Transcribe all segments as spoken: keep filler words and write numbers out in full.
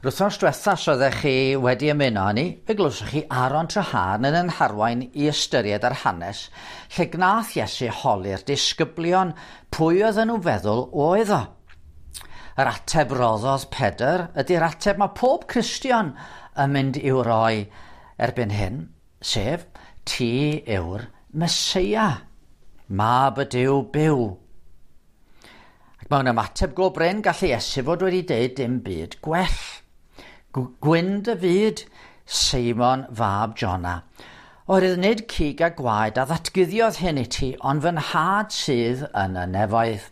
Wythnos diwetha, os oeddech chi wedi ymuno â ni, fe glywsoch chi Aaron Treharne yn ein harwain i ystyried yr hanes lle gnath Iesu holi'r disgyblion pwy oedden nhw'n feddwl oedd o. Yr ateb roddodd Pedr ydy'r ateb mae pob Cristion yn mynd i'w roi erbyn hyn, sef ti yw'r Meseia, mab y Duw byw. Ac mewn ymateb go brin gallu Iesu fod wedi deud dim byd gwell. Gwyn dy fyd, Seimon fab Jona. Oherwydd nid cig a gwaed a ddatguddiodd hyn i ti, ond fy nhad sydd yn y nefoedd.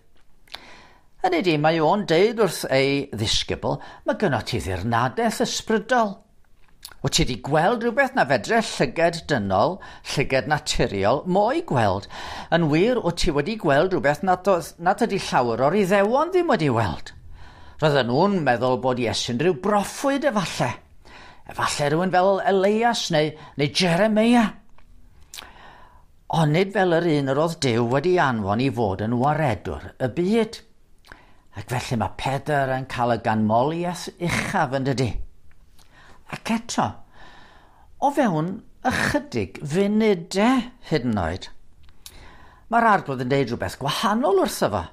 Hynny ydi, mae o'n deud wrth ei ddisgybl, mae gynno ti ddirnadaeth ysbrydol. Wyt ti wedi gweld rhywbeth na fedre llyged dynol, llyged naturiol, mo'i gweld. Yn wir, wyt ti wedi gweld rhywbeth nad, oedd, nad ydy llawer o'r Iddewon ddim wedi weld. Roedden nhw'n meddwl bod Iesu'n rhyw broffwyd efallai. Efallai rhywun fel Elias neu, neu Jeremia. Ond nid fel yr un yr oedd Duw wedi anfon i fod yn waredwr y byd. Ac felly mae Pedr yn cael y ganmoliaeth uchaf yn dydy. Ac eto, o fewn ychydig funudau hyd yn oed, mae'r Arglwydd yn deud rhywbeth gwahanol wrtho fo.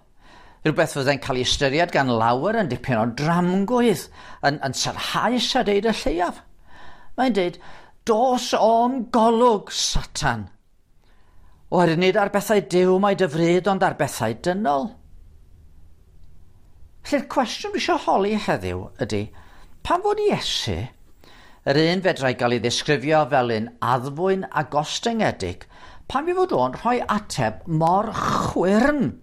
Rhywbeth fyddai'n cael ei ystyried gan lawer yn dipyn o dramgwydd, yn, yn sarhaus a deud y lleiaf. Mae'n deud, dos o'm golwg, Satan. Oherwydd nid ar bethau Duw mae dy fryd, ond ar bethau dynol. Felly'r cwestiwn dwi eisiau holi heddiw ydy, pam fod Iesu, yr un fedrai gael ei ddisgrifio fel un addfwyn a gostyngedig, pam i fod o'n rhoi ateb mor chwyrn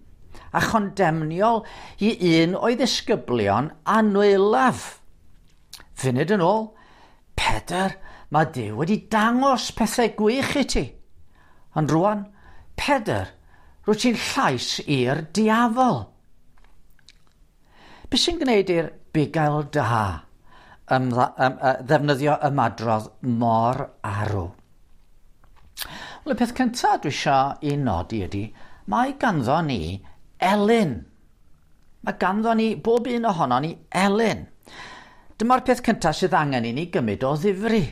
a chondemniol i un o'i ddisgyblion anwylaf? Funud yn ôl, Pedr, mae Duw wedi dangos pethau gwych i ti. Ond rwan, Pedr, rwyt ti'n llais i'r diafol. Be sy'n gwneud i'r bugail da ymdda, ym, ym, ddefnyddio ymadrodd mor arw? Wel, y peth cyntaf dwi eisiau i nodi ydy, mae ganddo ni elyn. Mae ganddo ni, bob un ohono ni, elyn. Dyma'r peth cyntaf sydd angen i ni gymryd o ddifri.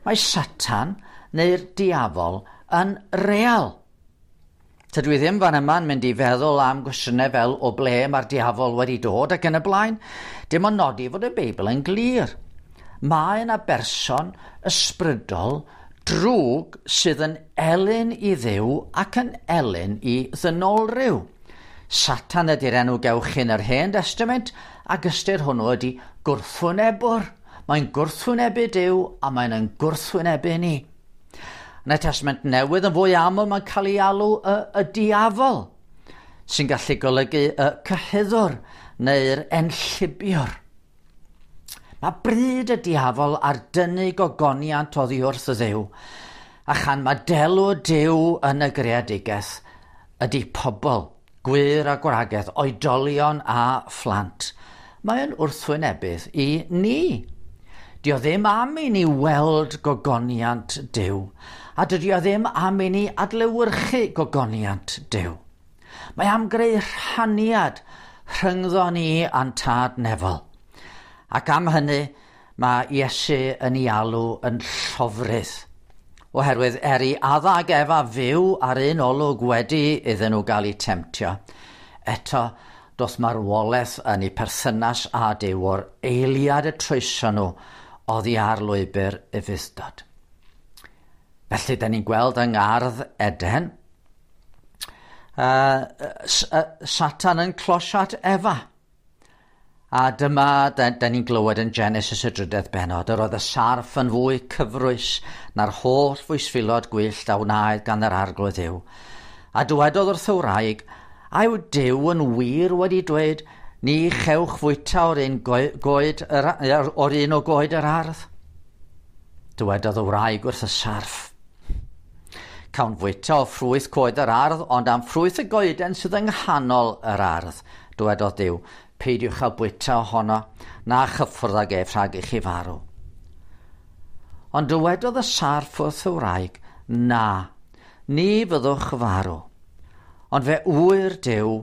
Mae Satan neu'r diafol yn real. Tydw i ddim fan yma'n mynd i feddwl am gwestiynau fel o ble mae'r diafol wedi dod ac yn y blaen. Dim ond nodi fod y Beibl yn glir. Mae yna berson ysbrydol drwg sydd yn elyn i Dduw ac yn elyn i ddynolryw. Satan ydy'r enw gewch chi yn yr Hen Testament, ac ystyr hwnnw ydy gwrthwynebwr. Mae'n gwrthwynebu Duw a mae'n yn gwrthwynebu ni. Yn y Testament Newydd yn fwy aml mae'n cael ei alw y, y diafol, sy'n gallu golygu y cyhuddwr neu'r enllibiwr. Mae bryd y diafol ar dynnu gogoniant oddi wrth y Dduw, a chan mae delw Duw yn y greadigaeth ydy pobl, gwŷr a gwragedd, oedolion a phlant. Mae'n wrthwynebydd i ni. Dio ddim am i ni weld gogoniant Duw, a dydy o ddim am i ni adlewyrchu gogoniant Duw. Mae am greu rhaniad rhyngddo ni a'n tad nefol. Ac am hynny, mae Iesu yn ei alw yn llofrudd. Oherwydd er i Adda ag Efa fyw ar un olwg wedi iddyn nhw gael eu temtio, eto doth marwolaeth yn eu perthynas â Duw o'r eiliad y troeson nhw oddi ar lwybr ufudd-dod. Felly, da ni'n gweld yng Ngardd Eden, uh, Satan yn closio at Efa. A dyma, da, da ni'n glywed yn Genesis y drydedd bennod, yr oedd y sarff yn fwy cyfrwys na'r holl fwystfilod gwyllt a wnaed gan yr Arglwydd Dduw. A dywedodd wrth y wraig, a yw Duw yn wir wedi dweud, ni chewch fwyta o'r un, goed, yr, o'r un o goed yr ardd? Dywedodd y wraig wrth y sarff, cawn fwyta o ffrwyth coed yr ardd, ond am ffrwyth y goeden sydd yng nghanol yr ardd, dywedodd Duw, peidiwch â bwyta ohono, na chyffwrdd ag ef rhag i chi farw. Ond dywedodd y sarff wrth y wraig, na, ni fyddwch farw. Ond fe ŵyr Duw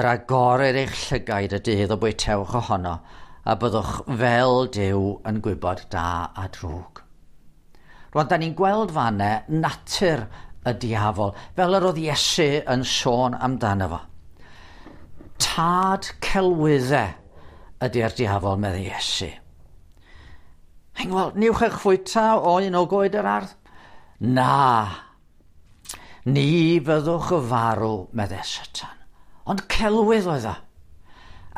yr agorir eich llygaid y dydd o bwytewch ohono, a byddwch fel Duw yn gwybod da a drwg. Rwan, da ni'n gweld fanne natur y diafol, fel yr oedd Iesu yn sôn amdano fo. Tad celwyddau ydy'r diafol, meddai Iesu. Heng, wel, niwch eich fwyta o un o goed yr ardd? Na, ni fyddwch y farw, meddai Satan. Ond celwydd oedd o.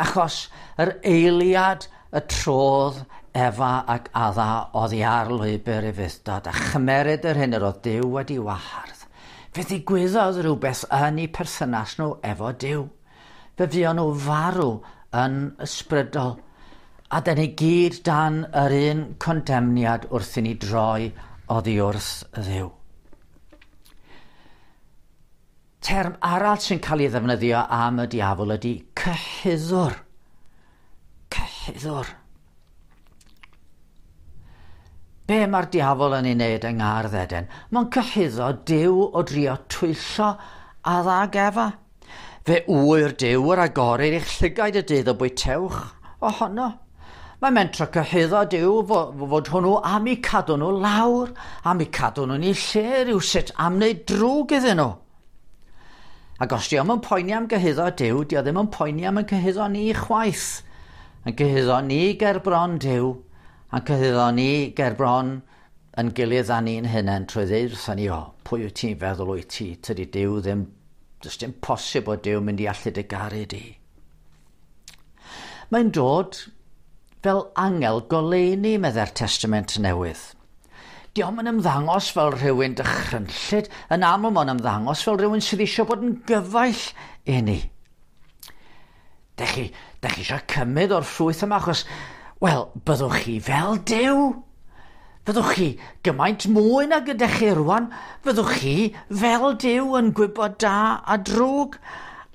Achos yr eiliad y trodd Efa ac Adda oddi ar lwybr ufudd-dod a chymeryd yr hyn yr oedd Duw wedi wahardd. Fe ddigwyddodd rhywbeth yn eu perthynas nhw efo Duw. Fe fuon nhw farw yn ysbrydol. A dyn ni gyd dan yr un condemniad wrth i ni droi oddi wrth Dduw. Term arall sy'n cael ei ddefnyddio am y diafol ydy cyhuddwr. Cyhuddwr. Be mae'r diafol yn ei wneud yng Ngardd Eden? Mae'n cyhuddo Duw o drio twyllo Adda ag Efa. Fe ŵyr Duw yr agorir eich llygaid y dydd o bwytewch ohono. Mae'n mentro cyhuddo Duw fod hwnnw am eu cadw nhw lawr, am eu cadw nhw'n eu lle rhywsut, am wneud drwg iddyn nhw. Ac os di o'm yn poeni am gyhuddo Duw, di o ddim yn poeni am yn cyhuddo ni chwaith. Yn cyhuddo ni ger bron Duw, a'n cyhuddo ni ger bron yn gilydd â ni'n hunain trwy ddeud wrthon ni, o, pwy wyt ti'n feddwl wyt ti, tydi Duw ddim, does dim posib o Duw mynd i allu dy garu di. Mae'n dod fel angel goleuni, meddai'r Testament Newydd. Dio'm yn ymddangos fel rhywun dychrynllyd, yn aml mae'n ymddangos fel rhywun sydd eisiau bod yn gyfaill i ni. Dech chi, dech chi eisiau cymryd o'r ffrwyth yma, achos, wel, byddwch chi fel Duw. Fyddwch chi gymaint mwy nag ydych chi rwan, fyddwch chi fel Duw yn gwybod da a drwg.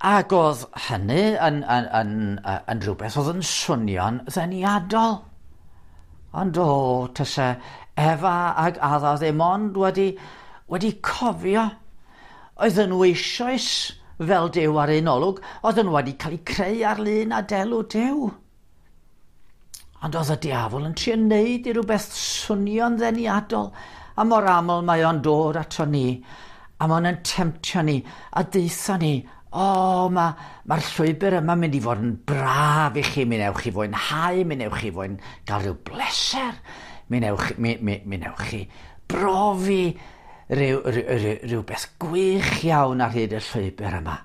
Ac oedd hynny yn, yn, yn, yn, yn rhywbeth oedd yn swnio'n ddeniadol. Ond o, tase Efa ag Adda ddim ond wedi, wedi cofio. Oedden nhw eisoes fel Duw ar un olwg, oedden nhw wedi cael eu creu ar lun a delw Duw. Ond oedd y diafol yn trio wneud i rhywbeth swnio'n ddeniadol, a mor aml mae o'n dod ato ni, a mae'n yn temtio ni, a deutha ni, o, mae'r ma llwybr yma'n mynd i fod yn braf i chi, mi newch chi fwynhau, mi newch chi fwyn gael rhyw bleser, mi newch, mi, mi, mi newch chi brofi rhyw, rhyw, rhyw, rhywbeth gwych iawn ar hyd y llwybr yma.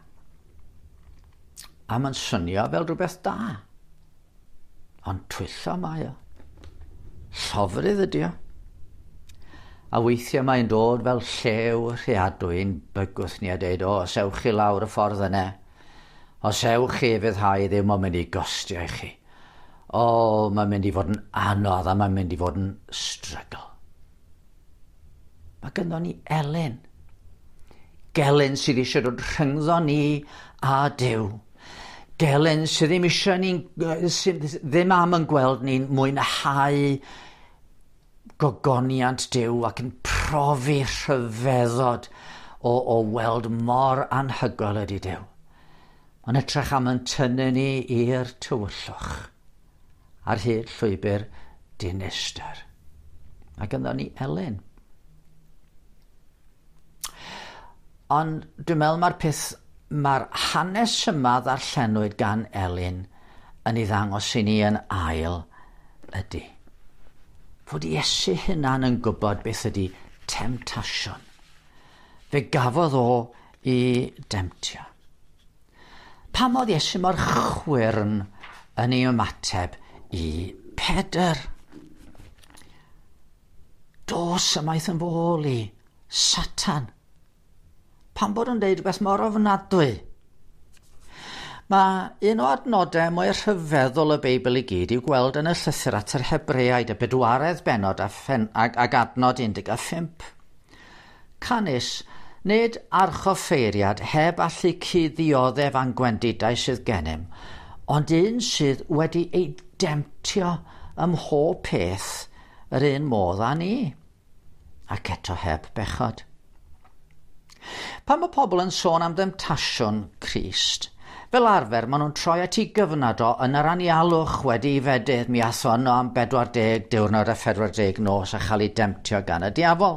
A mae'n swnio fel rhywbeth da. Ond twyllo mae o. Llofrudd ydi o. A weithiau mae'n dod fel llew rheadwy'n bygwth ni a deud, o, os ewch chi lawr y ffordd yna, os ewch chi fyddhau ddim o'n mynd i gostio i chi. O, mae'n mynd i fod yn anodd a mae'n mynd i fod yn struggle. Mae gynnon ni elyn. Gelyn sydd eisiau dod rhyngddo ni a Duw. Gelyn sydd ddim eisiau ni'n, sydd ddim am yn gweld ni'n mwynhau gogoniant Duw ac yn profi rhyfeddod o, o weld mor anhygoel ydy Duw. Mae'n edrych am yn tynnu ni i'r tywyllwch ar hyd llwybr dinistr. Mae gynnon ni elyn. Ond dwi'n meddwl mae'r peth, mae'r hanes yma ddarllenwyd gan Elin yn ei ddangos i ni yn ail ydy. Fod Iesu hunan yn gwybod beth ydy temtasiwn. Fe gafodd o i demtio. Pam oedd Iesu mor chwyrn yn ei ymateb i Pedr? Dos ymaith yn fy ôl i, Satan. Pam bod yn deud rhywbeth mor ofnadwy? Mae un o adnodau mwy rhyfeddol y Beibl i gyd i'w gweld yn y llythyr at yr Hebreaid, y bedwaredd bennod a ffen, ag, ag adnod un deg pump. Canys, nid archoffeiriad heb allu cuddioddef a'n gwendidau sydd gennym, ond un sydd wedi ei demtio ym mhob peth yr un modd â ni, ac eto heb bechod. Pan mae pobl yn sôn am demtasiwn Crist, Fel arfer, maen nhw'n troi at ei gyfnod o yn yr anialwch wedi ei fedydd. Mi ath o yno am bedwar deg diwrnod a phedwar deg nos a chael ei demtio gan y diafol.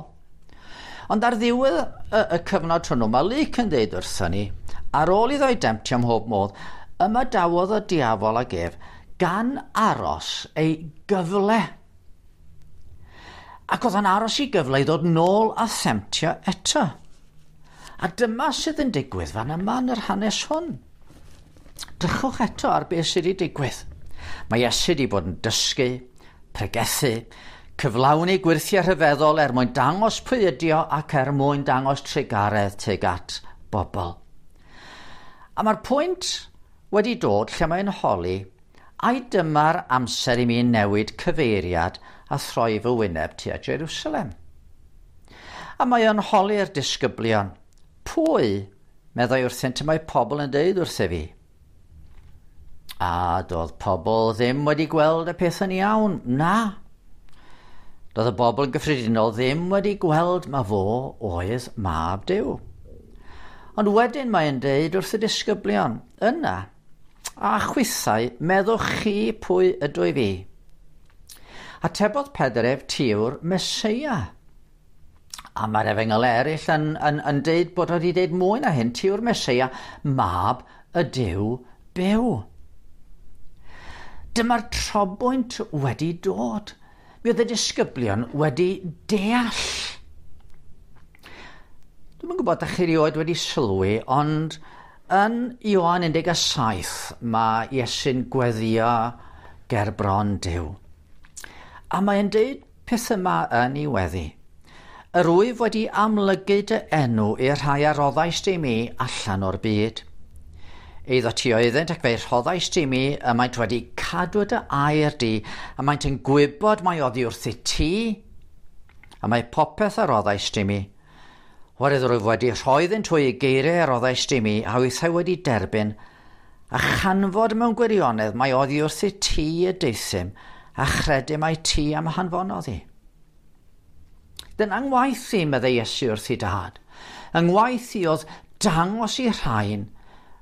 Ond ar ddiwedd y, y cyfnod hwnnw, mae Luc yn dweud wrthon ni, ar ôl iddo ei demtio ym mhob modd, ymadawodd y diafol ag ef gan aros ei gyfle. Ac oedd o'n aros i gyfle i ddod nôl a themtio eto. A dyma sydd yn digwydd fan yma yn yr hanes hwn. Drychwch eto ar beth sydd wedi digwydd. Mae Iesu wedi bod yn dysgu, pregethu, cyflawni gwyrthiau rhyfeddol er mwyn dangos pwy ydi o ac er mwyn dangos trugaredd tuag at bobl. A mae'r pwynt wedi dod lle mae'n holi, ai dyma'r amser i mi newid cyfeiriad a throi fy wyneb tuag Jerusalem? A mae o'n holi'r disgyblion, pwy, meddai wrthynt, y mae pobl yn deud wrtho fi? A doedd pobl ddim wedi gweld y peth yn iawn, na. Doedd y bobl yn gyffredinol ddim wedi gweld ma fo oedd mab Duw. Ond wedyn mae'n deud wrth y disgyblion, yna, a chwithau, meddwch chi pwy ydw i fi? Atebodd Pedr ef, ti yw'r Meseia. A mae'r efengyl eraill yn, yn, yn deud bod wedi deud mwy na hyn, ti yw'r Meseia, mab y Duw byw. Dyma'r trobwynt wedi dod. Mi oedd y disgyblion wedi deall. Dwi'm yn gwybod ydych chi erioed wedi sylwi, ond yn Ioan un deg saith mae Iesu'n gweddio ger bron Duw. A mae'n deud peth yma yn ei weddi. Yr wyf wedi amlygu dy enw i'r rhai a roddaist i mi allan o'r byd. Eiddo ti oeddynt ac fe'i rhoddaist i mi, y maent wedi cadw dy air di, a maent yn gwybod mai oddi wrthyt ti, a mae popeth a roddaist i mi. Oherwydd rwyf wedi rhoi iddynt hwy y geiriau a roddaist i mi, a hwythau wedi derbyn, a chanfod mewn gwirionedd mai oddi wrthyt ti y deuthum, a chredu mai ti am hanfonodd i. Dyna ngwaith i, meddai Iesu wrth ei dad. Yng ngwaith i oedd dangos i rhain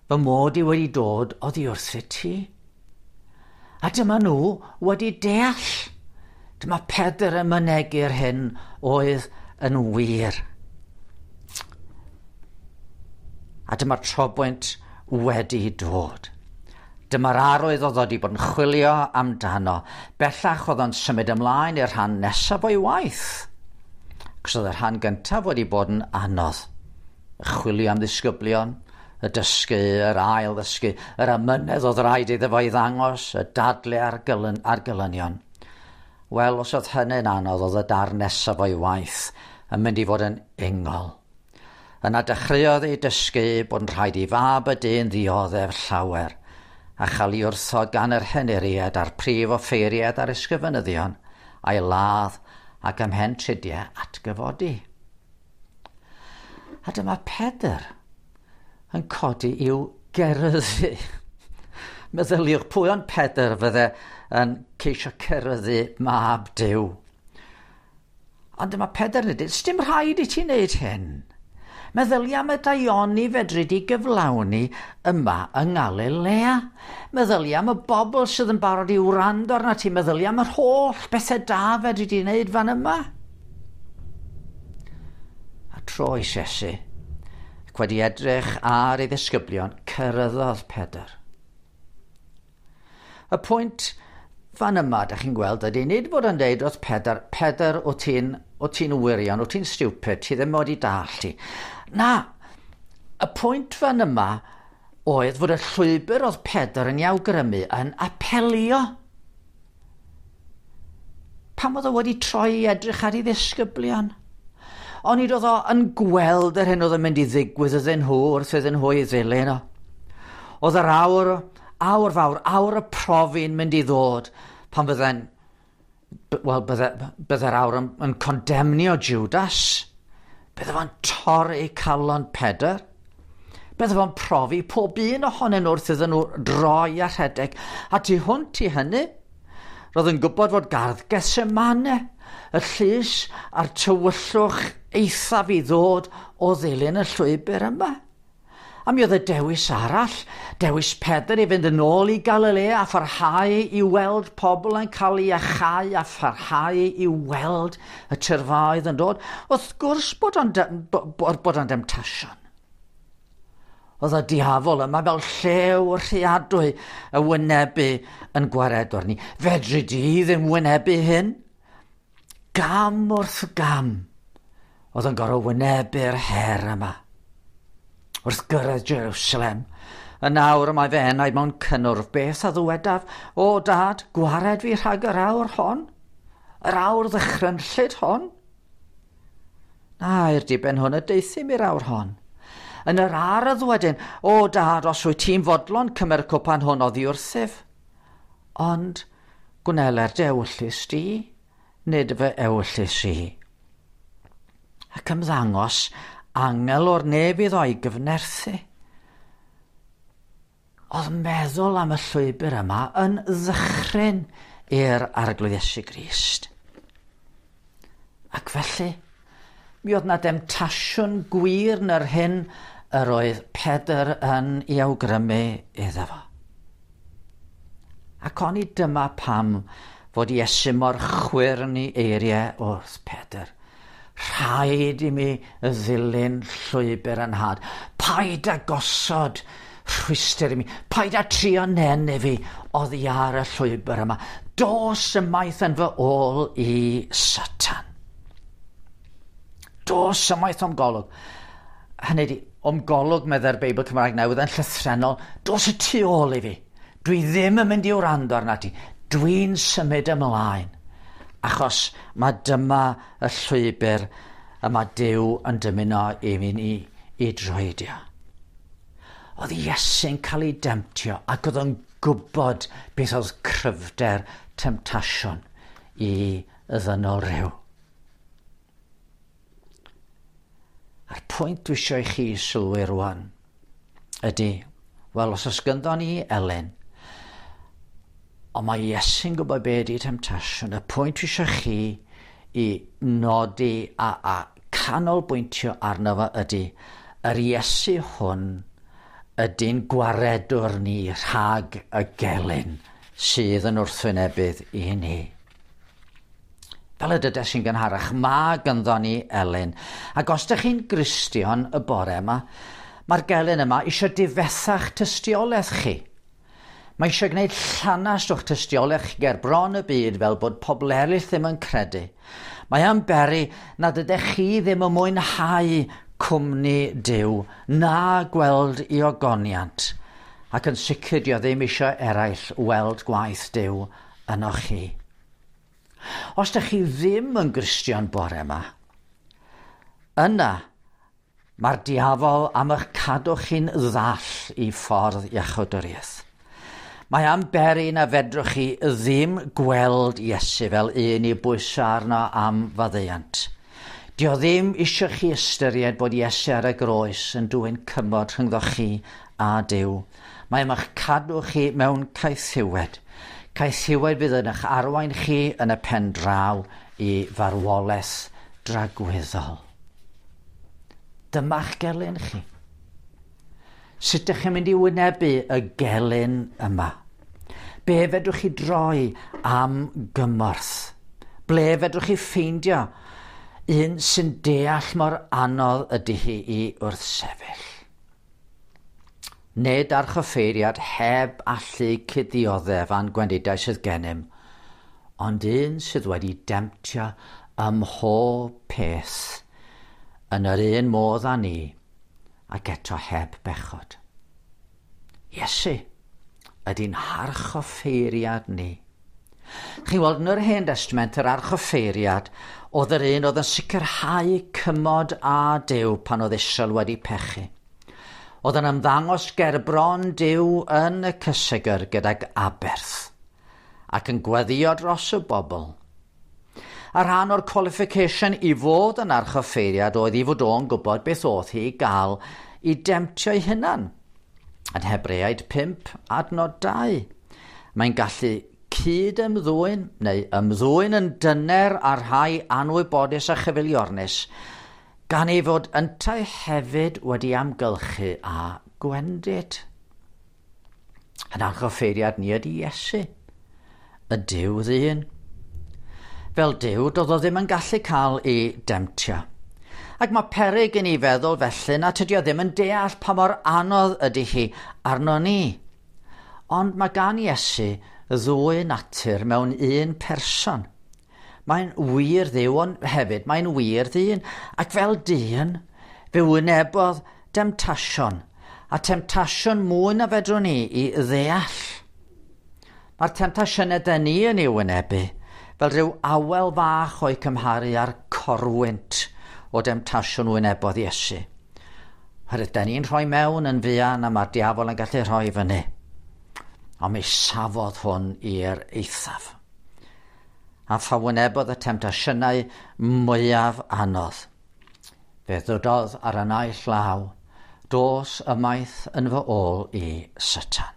fy mod i wedi dod oddi wrthyt ti. A dyma nhw wedi deall. Dyma Pedr yn mynegi'r hyn oedd yn wir. A dyma'r trobwynt wedi dod. Dyma'r arwydd oedd wedi bod yn chwilio amdano. Bellach oedd o'n symud ymlaen i'r rhan nesaf o'i waith. Cos oedd y rhan gyntaf wedi bod yn anodd. Y chwilio am ddisgyblion, y dysgu, yr ail ddysgu, yr amynedd oedd rhaid iddo fo i ddangos, y dadle a'r, gylyn, a'r gylynion. Wel, os oedd hynny'n anodd, oedd y darn nesaf o'i waith yn mynd i fod yn ingol. Yna dechreuodd ei dysgu bod yn rhaid i fab y dyn ddioddef llawer, a chael ei wrthod gan yr henuriaid a'r prif offeiriaid a'r ysgrifenyddion, a'i ladd ac ymhen tridiau atgyfodi. A dyma Pedr yn codi i'w geryddu. Meddyliwch pwy ond Pedr fydde yn ceisio ceryddu mab Duw. Ond dyma Pedr yn dweud, sdim rhaid i ti wneud hyn. Meddylia am y daioni fedri di gyflawni yma yng Ngalilea. Meddylia am y bobl sydd yn barod i wrando arna ti. Meddylia am yr holl bethau da fedri di wneud fan yma. A troes Iesu, ac wedi edrych ar ei ddisgyblion, cyrraeddodd Pedr. Y pwynt fan yma, da chi'n gweld, ydy nid bod yn deud wrth Pedr, Pedr, o ti'n o ti'n wirion, o ti'n stupid, ti ddim wedi dallt ti. Na, y pwynt fan yma oedd fod y llwybr oedd Pedr yn ei awgrymu yn apelio. Pam oedd o wedi troi i edrych ar ei ddisgyblion? Onid oedd o yn gweld yr hyn oedd yn mynd i ddigwydd iddyn nhw wrth iddyn nhw ei ddilyn o. Oedd yr awr, awr fawr, awr y profi'n mynd i ddod pan fydde'n, wel, bydde, bydde'r awr yn, yn condemnio Judas. Bydde fo'n torri calon Pedr. Bydde fo'n profi pob un ohonyn nhw wrth iddyn nhw droi a rhedeg. A tu hwnt i hynny, roedd yn gwybod fod gardd Gethsemane, y llys a'r tywyllwch eithaf i ddod o ddilyn y llwybr yma. A mi oedd y dewis arall, dewis Pedr i fynd yn ôl i Galilea a pharhau i weld pobl yn cael ei iachau a pharhau i weld y tyrfaoedd yn dod. Wrth gwrs bod o'n, bod o'n demtasiwn. Oedd y diafol yma fel llew rhuadwy y wynebu yn gwaredwr ni. Fedri di ddim wynebu hyn? Gam wrth gam oedd yn gorfod wynebu'r her yma. Wrth gyrraedd Jerusalem, y nawr y mae fy enaid mewn cynnwrf, beth a ddywedaf? O dad, gwared fi rhag yr awr hon? Yr awr ddychrynllyd hon? Na, i'r diben hwn y deuthum i'r awr hon. Yn yr ardd wedyn, o dad, os wyt ti'n fodlon cymer y cwpan hwn oddi wrthyf. Ond gwneler dy ewyllys di, nid fy ewyllys i. Ac ymddangos angel o'r nef iddo i gyfnerthu. Oedd meddwl am y llwybr yma yn ddychryn i'r Arglwydd Iesu Grist. Ac felly, mi oedd na demtasiwn gwir yn yr hyn yr oedd Pedr yn ei awgrymu iddo fo. Ac oni dyma pam fod Iesu mor chwyrn i eiriau wrth Pedr. Rhaid i mi ddilyn llwybr yn nhad. Paid â gosod rhwystr i mi. Paid â trio nenu fi oddi ar y llwybr yma. Dos ymaith yn fy ôl i Satan. Dos ymaith o'm golwg. Hynny ydi, o'm golwg, meddai'r Beibl Cymraeg Newydd yn llythrennol, dos y tu ôl i fi. Dwi ddim yn mynd i wrando arna ti. Dwi'n symud ymlaen. Achos mae dyma y llwybr y mae Duw yn dymuno i mi i, i droedio. Oedd Iesu'n cael ei demtio ac oedd o'n gwybod beth oedd cryfder temtasiwn i ddynol rhyw. A'r pwynt dwi eisiau i chi sylwi rwan ydy, wel, os oes gynddo ni Elen, ond mae Iesu'n gwybod be ydy temtasiwn. Y pwynt dwi eisiau chi i nodi a, a canolbwyntio arno fo ydy, yr Iesu hwn ydy'n gwaredwr ni rhag y gelyn sydd yn wrthwynebydd i ni. Fel y dydes i'n gynharach, mae gynddo ni Elyn. Ac os ydych chi'n Gristion y bore yma, mae'r gelyn yma eisiau difetha'ch tystiolaeth chi. Mae eisiau gwneud llanast o'ch tystiolaeth chi ger bron y byd fel bod pobl eraill ddim yn credu. Mae am beri nad ydych chi ddim yn mwynhau cwmni Duw na gweld i ogoniant, ac yn sicr dio ddim eisiau eraill weld gwaith Duw ynoch chi. Os ydych chi ddim yn Gristion bore yma, yna mae'r diafol am eich cadw chi'n ddall i ffordd iachawdwriaeth. Mae am beri na fedrwch chi ddim gweld Iesu fel un i bwyso arno am faddeuant. Dio ddim eisiau chi ystyried bod Iesu ar y groes yn dwyn cymod rhyngddo chi a Duw. Mae am eich cadw chi mewn caethiwed. Caethiwed fydd yn eich arwain chi yn y pen draw i farwolaeth dragwyddol. Dyma'ch gelyn chi. Sut ydych chi'n mynd i wynebu y gelyn yma? Be fedrwch chi droi am gymorth? Ble fedrwch chi ffeindio un sy'n deall mor anodd ydy hi i wrthsefyll? Nid archoffeiriad heb allu cuddioddef a'n gwendidau sydd gennym, ond un sydd wedi demtio ym mhob peth yn yr un modd â ni, ac eto heb bechod. Iesu ydy'n harchoffeiriad ni. Chi'n weld yn yr Hen Testament yr archoffeiriad oedd yr un oedd yn sicrhau cymod â Duw pan oedd Israel wedi pechu. Oedd yn ymddangos ger bron Duw yn y cysegr gydag aberth ac yn gweddio dros y bobl. A rhan o'r qualification i fod yn archoffeiriad oedd i fod o'n gwybod beth oedd hi i gael i demtio'i hunan. Yn Hebreaid pump adnod dau. Mae'n gallu cyd ymddwyn neu ymddwyn yn dyner ar rhai anwybodus a chyfeiliornus, gan ei fod yntau hefyd wedi amgylchu a gwendid. Yn archoffeiriad ni ydy Iesu, y Duw ddyn. Fel Duw, doedd o ddim yn gallu cael ei demtio. Ac mae peryg i ni feddwl felly na tydi o ddim yn deall pa mor anodd ydy hi arno ni. Ond mae gan Iesu ddwy natur mewn un person. Mae'n wir Dduw, ond hefyd mae'n wir ddyn. Ac fel dyn, fe wynebodd demtasiwn, a temtasiwn mwy na fedrwn ni i ddeall. Mae'r temtasiynau dyn ni yn ei wynebu fel rhyw awel fach o'i cymharu â'r corwynt o demtasiwn wynebodd Iesu. Oherwydd dyn ni'n rhoi mewn yn fuan a mae'r diafol yn gallu rhoi fyny. Ond mi safodd hwn i'r eithaf. A pha wynebodd y temtasiynau mwyaf anodd. Fe ddydodd ar y naill law, dos ymaith yn fy ôl i Satan.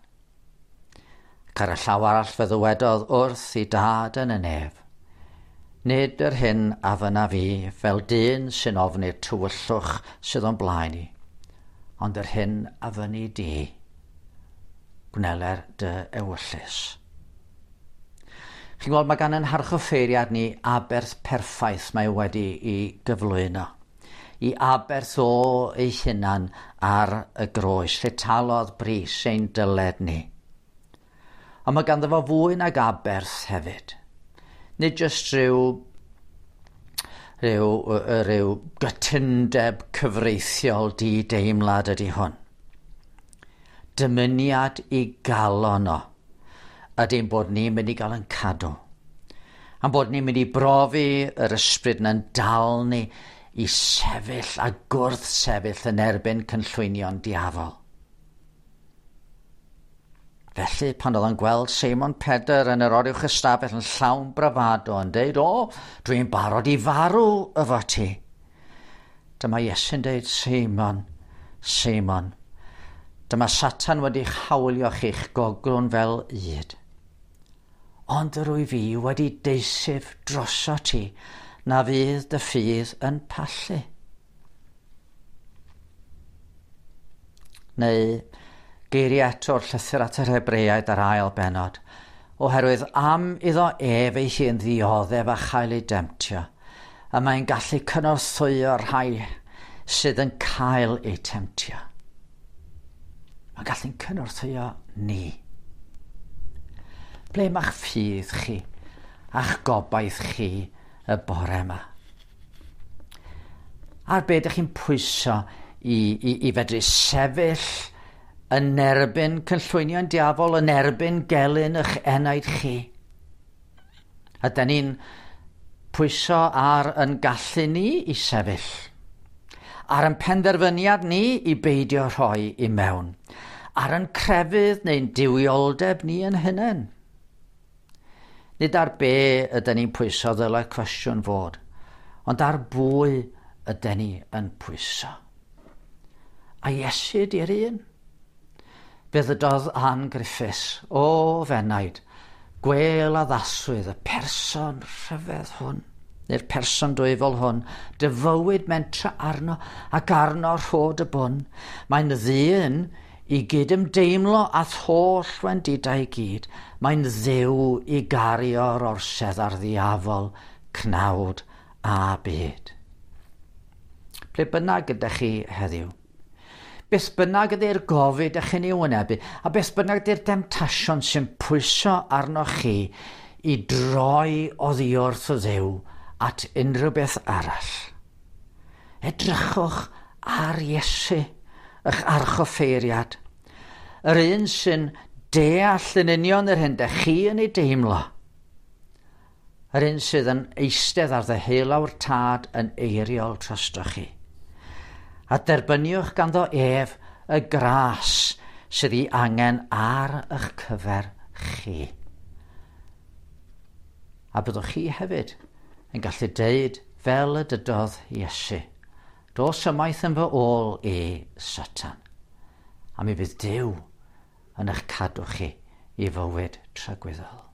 Ac ar y llaw arall fe ddywedodd wrth i dad yn y nef, nid yr hyn a fynna fi fel dyn sy'n ofni'r tywyllwch sydd o'n blaen i, ond yr hyn a fynni di, gwneler dy ewyllys. Chi'n gweld, mae gan ein harchoffeiriad ni aberth perffaith mae wedi i gyflwyno. I aberth o ei hunan ar y groes, lle talodd bris ein dyled ni. Ond mae ganddo fo fwy nag aberth hefyd. Nid jyst rhyw, rhyw, rhyw gytundeb cyfreithiol di-deimlad ydy hwn. Dymuniad i galon o ydy'n bod ni'n mynd i gael yn cadw. A'n bod ni'n mynd i brofi yr ysbryd na'n dal ni i sefyll a gwrth sefyll yn erbyn cynllwynion diafol. Felly, pan oedd o'n gweld Seimon Pedr yn yr oruwch ystafell yn llawn bravado yn deud, o, dwi'n barod i farw efo ti. Dyma Iesu'n deud, Seimon, Seimon, dyma Satan wedi'ch hawlio chi'ch goglwn fel ŷd. Ond yr wyf fi wedi deisyf droso ti na fydd dy ffydd yn pallu. Neu geiriau eto'r llythyr at yr Hebreaid ar ail bennod, oherwydd am iddo ef ei hun ddioddef a chael ei demtio, a mae'n gallu cynorthwyo'r rhai sydd yn cael eu temtio. Mae'n gallu'n cynorthwyo ni. Ble mae'ch ffydd chi a'ch gobaith chi y bore yma? Ar be ydych chi'n pwyso i, i, i fedru sefyll yn erbyn cynllwynion diafol, yn erbyn gelyn eich enaid chi? A dyn ni'n pwyso ar yn gallu ni i sefyll, ar yn penderfyniad ni i beidio rhoi i mewn, ar yn crefydd neu'n duwioldeb ni yn hunain. Nid ar be ydyn ni'n pwyso ddylai cwestiwn fod, ond ar bwy ydyn ni yn pwyso. A Iesu ydy'r un. Fe ddydodd Ann Griffiths, o fenaid, gwel addaswyd y person rhyfedd hwn, neu'r person dwyfol hwn, dy fywyd mentra arno ac arno rhod y bwn. Mae'n ddyn i gydymdeimlo â'th holl wendidau i gyd. Mae'n dduw i gario'r orsedd ar ddiafol, cnawd a byd. Ble bynnag ydych chi heddiw, beth bynnag ydy'r gofid ych chi'n ei wynebu, a beth bynnag ydy'r demtasiwn sy'n pwyso arnoch chi i droi oddi wrth y Dduw at unrhyw beth arall. Edrychwch ar Iesu, eich archoffeiriad, yr un sy'n deall yn union yr hyn dych chi yn ei deimlo, yr un sydd yn eistedd ar ddeheulaw'r Tad yn eiriol drostoch chi. A derbyniwch ganddo ef y gras sydd ei angen ar eich cyfer chi. A byddwch chi hefyd yn gallu deud fel y dydodd Iesu, dos ymaith yn fy ôl i Satan, a mi fydd Duw yn eich cadw chi i fywyd tragwyddol.